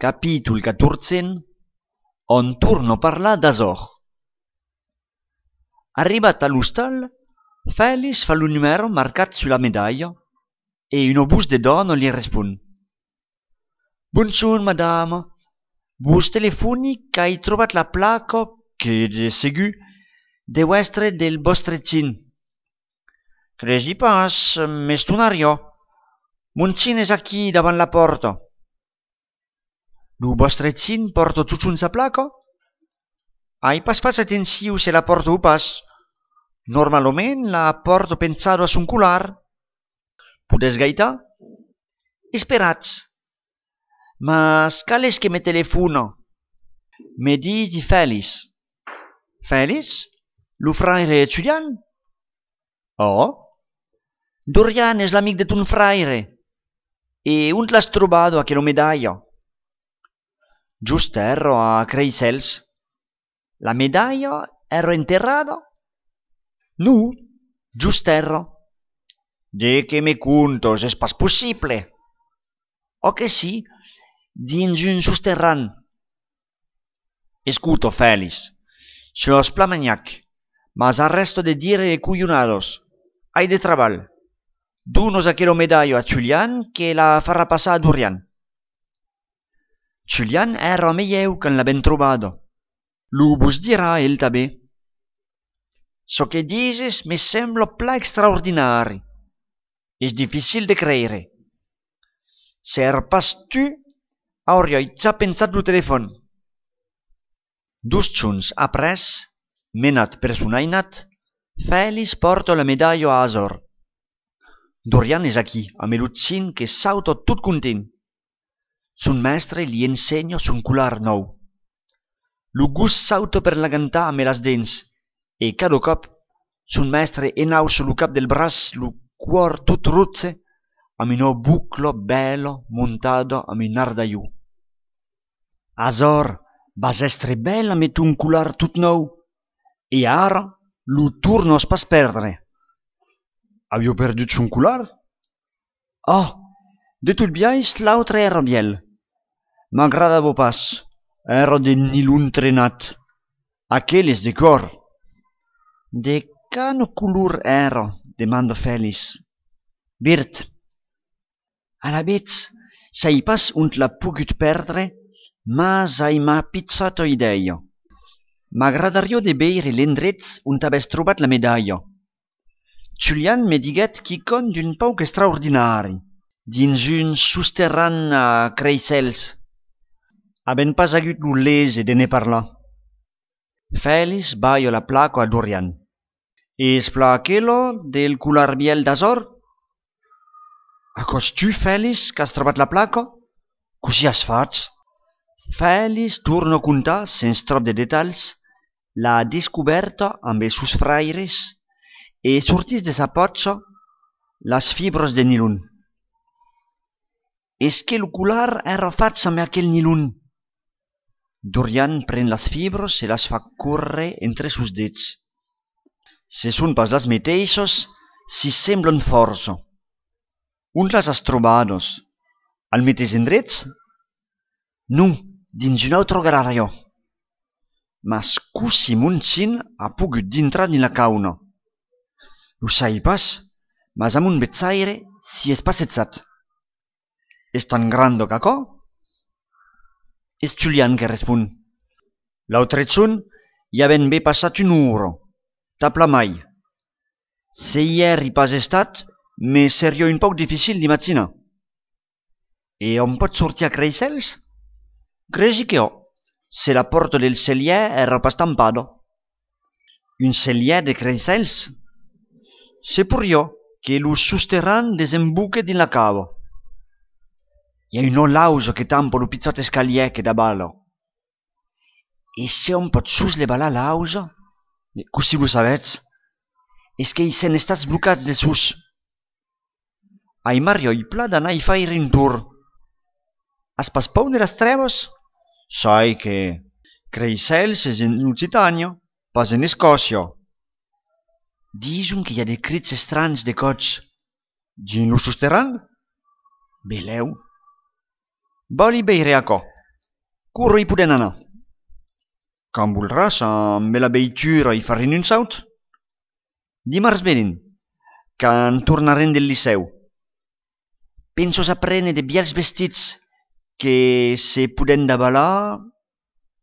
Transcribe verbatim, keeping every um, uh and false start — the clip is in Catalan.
Capítol catorze, on torno a parlar d'Azor. Arribat a l'hostal, Félix fa il numero marcat sulla medaglia e un obus de donna gli risponde. Bonjour, madame. Vos telefoni che hai trobat la placa che de segur deu estre del vostre cin. Cregi pas, m'és tonario. Mon cin és aquí davant la porta. Lo vostre cin porta tutun sa placa? Hai pas fatto atenció se la porta o pas. Normalment la porta pensado a son cular. Podes gaita? Esperats. Mas cal és que me telefona? Me dici Félix. Félix? Lo fraire Julian? Oh? Dorian és l'amic de ton fraire. E on l'has trovato aquella medaglia? Giusto ero a Creisels. La medaglia ero enterrata? No, giusto ero. De che me contos, és pas possible. O che sì, dins un sosterran. Escuto, Félix, se los plamagnac, mas arresto de dire cuyonados. Hai de treball. Dunos aquella medaglia a Julian que la farà passar a Dorian. Julian era meieu que l'ha trovato. Lo vos dirà el també. So che dices me sembla pla extraordinari. És difficil de creire. Ser pas tu, hauria già pensat lo telefon. Dus giorns apres, menat per son ainat, Félix porta la medaglia a Azor. Dorian és aquí, amb el cin que sauta tot content. Son mestre li ensenya son cular nou. Lo gus sauta per la cantar amb les dents, e cada cop son mestre enausa lo cap del braç, lo cuor tot rotze, amb una bucla bella montada amb un ardaiu. Azor, vas estre bella amb un cular tot nou, e ara lo tornos pas perdre. Aviu perdut son cular? Oh, de tot biais l'altre era biel. M'agradava pas. Era de nilon trenat. Aquel és de cor. De quin color era? Demanda Félix. Verd. Alavetz, sai pas on l'ha pogut perdre, mas ai m'ha pizzata idea. M'agradaria de veure l'endret on t'haves trobat la medaglia. Julian me diguet quicon d'un pauc extraordinari, dins un sosterran a Creisels. Haben pas hagut lo lese de ne parlar. Félix baia la placa a Dorian. És pla aquella del cular biel d'Azor? Acos tu, Félix, que has trobat la placa? Così has fatto? Félix torna a contar, sense trop de detalls, la descoberta amb els sus fraires e sortís de sa potxa las fibres de nilon. És que el cular era fatto amb aquell nilon. Dorian pren les fibres i les fa córrer entre sus dits. Se són pas les mateixes, si semblen força. On les has trobades? Al mateix endrets? No, dins un altre garària. Mas così mon cin ha pogut d'entrar dins la cauna. Lo sai pas, mas amb un bezzaire si és passetsat. És tan grande que co? És Julian que respon. L'altre giorn hi ha ben bé passat un ora. Tapla mai. Se hier hi pas estat, me seria un poc difícil d'imaginar. E on pot sortir a Creisels? Cregi che ho, se la porta del cellier era pas tampada. Un cellier de Creisels? Se pur io che lo sosterran desembuque din la cava. Hi ha una lausa che tampa lo pizzat escalier che da bala. E se on pot sosleva la lausa? Così lo savets? És que hi sen estats blocats del sus. Ai Mario i pla d'anar i faire un tour. Has pas pau de les treves? Sai que Creisels és en Occitània, pas en Escòcia. Disun que hi ha de crits estranys de cots. Dins lo sosterran? Beleu. Voli beire a co. Curo hi podem anar? Com voldràs, amb la veitura i farem un saut. Dimarts venen, que en tornarem del liceu. Penso a prendre de biels vestits que se podem dabalar